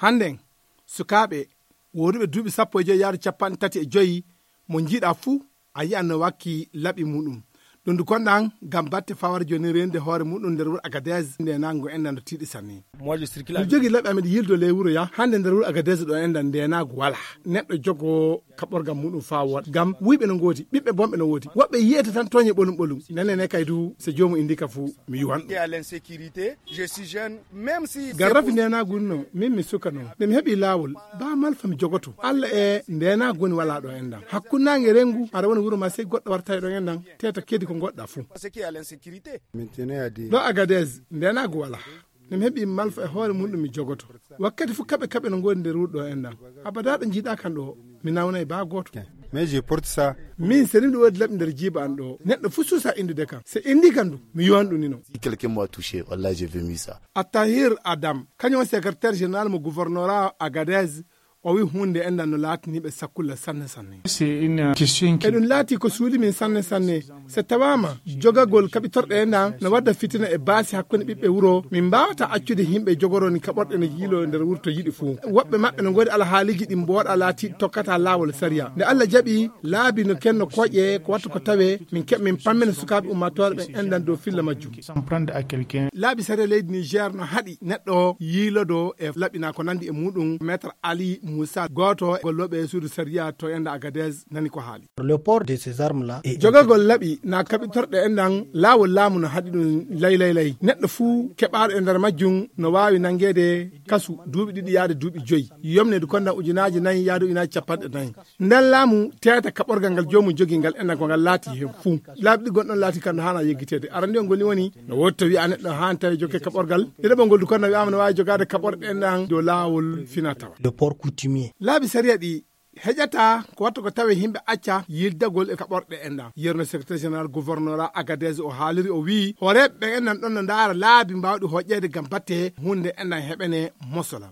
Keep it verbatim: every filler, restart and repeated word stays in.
Hannden, sukaaɓe wooduɓe duuɓi sappo e joy yaade cappanɗe tati e joy, mo njiiɗa fuu, a yi'an no wakki laɓi muuɗum. Ɗum du konɗan ngam batte fawar jooni reenude hoore muuɗum nder wuro Agadez, ndeenaagu enɗan no tiiɗi sanne. Miɗo jogii laɓi am, miɗo yiildo ley wuro ya, hannde nder wuro Agadez ɗo enɗan ndeenaagu walaa. Neɗɗo jogoo kaɓorgal muuɗum faa wooɗa. Ngam wuyɓe no ngoodi, ɓiɓɓe bonɓe no woodi. Woɓɓe yi'ete tan tooñe ɓolum ɓolum. Nene ne kay du, so joomum inndi ka fuu, mi yuwan ɗum. Ngam rafi ndeenaagu no, min mi suka non. Nde mi heɓii laawol, baa malfa mi jogoto. Alla e ndeenaagu woni walaa ɗo enɗan. Hakkunde naange rengu, aɗa woni wuro ma sey goɗɗo warta e ɗo enɗan. Teeta kedi ko ngoɗɗa fuu. Ɗo Agadez, ndeenaagu walaa. Nde mi heɓii malfa e hoore muuɗum mi jogoto. Wakkati fuu kaɓe kaɓe no ngoodi nder wuro ɗo enɗan. Abadaa ɗo njiiɗa kan ɗo, mi nawnay baa gooto. Min, so ni ɗum woodi laɓi nder jiiba an ɗo, neɗɗo fuu suusa inndude kam. So inndi kam du, mi yuwan ɗum ni non. Attahir Adam, kañum woni secrétaire général mo gouvernora Agadez, o wi huunde enɗan no laatini ɓe sakkulla sanne sanne. E ɗum laati ko suuli min sanne sanne. So tawaama, jogagol kaɓitorɗe enɗan no wadda fitina e baasi hakkunde ɓiɓɓe wuro, min mbaawataa accude yimɓe jogoroni kaɓorɗe no yiilo nder wuro to yiɗi fuu. Woɓɓe maɓɓe no ngoodi alhaaliiji ɗi mbooɗa laatiiɗi tokkataa laawol sariya. Nde Alla jaɓi, laabi no kenno kooƴe, ko wattu ko tawee, min keɓ-, min pammina sukaaɓe ummaatoore ɓen enɗan dow filla majjum. Laabi sariya leydi Niger no haɗi neɗɗo yiilodo e laɓi na ko nandi e muuɗum. Maître Ali Moussa, gooto e gollooɓe e suudu sariya to enɗan Agadez, nani ko haali. Le port de ces armes là est Jogagol laɓi na kaɓitorɗe enɗan, laawol laamu no haɗi ɗum lay lay lay. Neɗɗo fuu keɓaaɗo e nder majjum no waawi nangeede kasu duuɓi ɗiɗi yaade duuɓi joyi. Yomneede konɗan ujunaaji nayi yaade ujunaaji cappanɗe nayi. Nden laamu teeta kaɓorgal ngal joomum jogii ngal enɗan ko ngal laati heen fuu. Laabi ɗiɗi gonɗon laati kam no haanaa yeggiteede. Arande on ngoni woni, no woodi to wi'a neɗɗo haani tawi jokke kaɓorgal. Ɗiɗaɓo ngol du konɗan wi'aama no waawi jogaade kaɓorɗe enɗan dow laawol fina tawa. Le port coutumier. Laabi sariya ɗi heƴata ko wattu ko tawe yimɓe acca yildagol e kaɓorɗe enɗan. Yerno secrétaire général gouvernora Agadez o haaliri, o wi'i hooreeɓe ɓe enɗan ɗon no ndaara laabi mbaawɗi hoƴƴeede ngam batte huunde enɗan heɓene mosola.